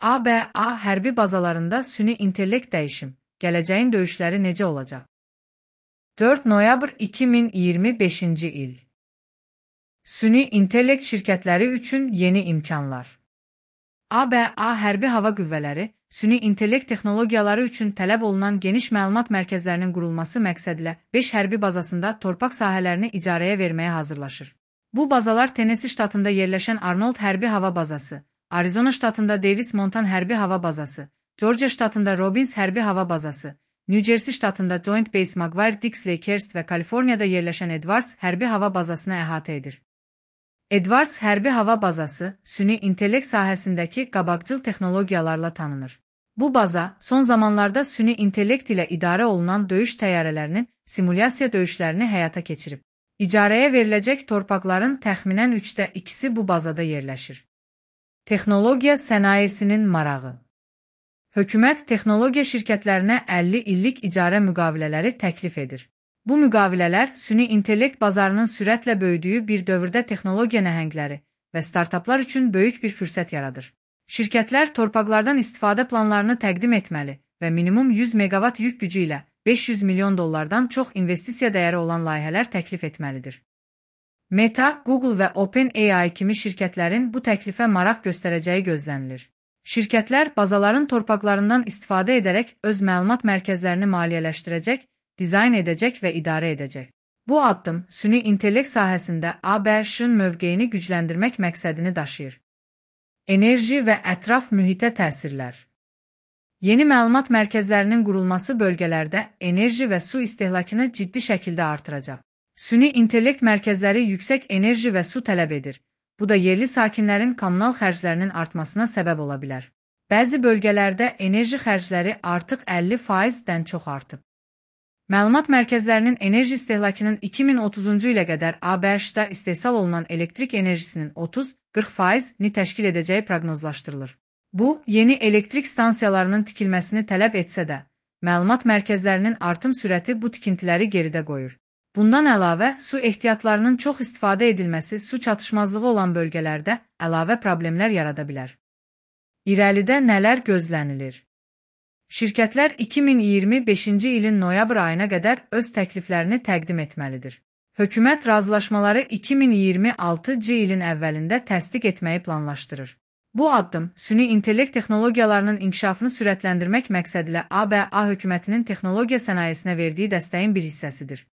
ABA hərbi bazalarında süni intellekt dəyişim, gələcəyin döyüşləri necə olacaq? 4 noyabr 2025-ci il. Süni intellekt şirkətləri üçün yeni imkanlar. ABA hərbi hava qüvvələri, süni intellekt texnologiyaları üçün tələb olunan geniş məlumat mərkəzlərinin qurulması məqsədilə 5 hərbi bazasında torpaq sahələrini icarəyə verməyə hazırlaşır. Bu bazalar Tennessee ştatında yerləşən Arnold hərbi hava bazası, Arizona ştatında Davis Monthan hərbi hava bazası, Georgia ştatında Robbins hərbi hava bazası, New Jersey ştatında Joint Base McGuire-Dix Lakehurst və Kaliforniyada yerləşən Edwards hərbi hava bazasını əhatə edir. Edwards hərbi hava bazası, süni intellekt sahəsindəki qabaqcıl texnologiyalarla tanınır. Bu baza, son zamanlarda süni intellekt ilə idarə olunan döyüş təyyarələrinin simulyasiya döyüşlərini həyata keçirib. İcarəyə veriləcək torpaqların təxminən 3də 2-si bu bazada yerləşir. Texnologiya sənayesinin marağı. Hökumət texnologiya şirkətlərinə 50 illik icarə müqavilələri təklif edir. Bu müqavilələr süni intellekt bazarının sürətlə böyüdüyü bir dövrdə texnologiya nəhəngləri və startaplar üçün böyük bir fürsət yaradır. Şirkətlər torpaqlardan istifadə planlarını təqdim etməli və minimum 100 meqavat yük gücü ilə $500 milyon çox investisiya dəyəri olan layihələr təklif etməlidir. Meta, Google və OpenAI kimi şirkətlərin bu təklifə maraq göstərəcəyi gözlənilir. Şirkətlər bazaların torpaqlarından istifadə edərək öz məlumat mərkəzlərini maliyyələşdirəcək, dizayn edəcək və idarə edəcək. Bu addım süni intellekt sahəsində ABŞ-ın mövqeyini gücləndirmək məqsədini daşıyır. Enerji və ətraf mühitə təsirlər. Yeni məlumat mərkəzlərinin qurulması bölgələrdə enerji və su istehlakını ciddi şəkildə artıracaq. Süni intellekt mərkəzləri yüksək enerji və su tələb edir. Bu da yerli sakinlərin kommunal xərclərinin artmasına səbəb ola bilər. Bəzi bölgələrdə enerji xərcləri artıq 50%-dən çox artıb. Məlumat mərkəzlərinin enerji istehlakının 2030-cu ilə qədər ABŞ-da istehsal olunan elektrik enerjisinin 30-40%-ni təşkil edəcəyi proqnozlaşdırılır. Bu, yeni elektrik stansiyalarının tikilməsini tələb etsə də, məlumat mərkəzlərinin artım sürəti bu tikintiləri geridə qoyur. Bundan əlavə, su ehtiyatlarının çox istifadə edilməsi su çatışmazlığı olan bölgələrdə əlavə problemlər yarada bilər. İrəlidə nələr gözlənilir? Şirkətlər 2025-ci ilin noyabr ayına qədər öz təkliflərini təqdim etməlidir. Hökumət razılaşmaları 2026-cı ilin əvvəlində təsdiq etməyi planlaşdırır. Bu addım, süni intellekt texnologiyalarının inkişafını sürətləndirmək məqsədilə ABA hökumətinin texnologiya sənayesinə verdiyi dəstəyin bir hissəsidir.